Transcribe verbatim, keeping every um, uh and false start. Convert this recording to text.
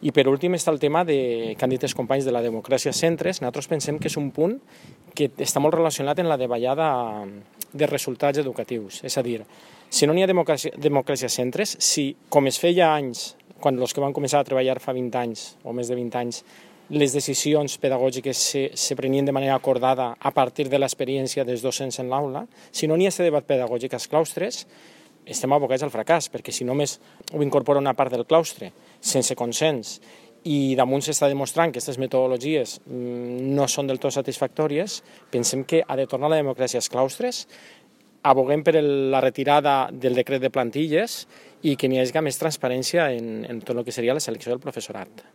I per últim està el tema de, que han dit els companys de la democràcia a centres. Nosaltres pensem que és un punt que està molt relacionat amb la davallada de resultats educatius. És a dir, si no n'hi ha democràcia, democràcia a centres, si com es feia anys, quan els que van començar a treballar fa vint anys o més de vint anys, les decisions pedagògiques se, se prenien de manera acordada a partir de l'experiència dels docents en l'aula, si no n'hi ha aquest debat pedagògic als claustres, estem abocats al fracàs, perquè si només ho incorpora una part del claustre sense consens i damunt s'està demostrant que aquestes metodologies no són del tot satisfactòries, pensem que ha de tornar la democràcia als claustres, aboguem per la retirada del decret de plantilles i que n'hi hagi més transparència en, en tot el que seria la selecció del professorat.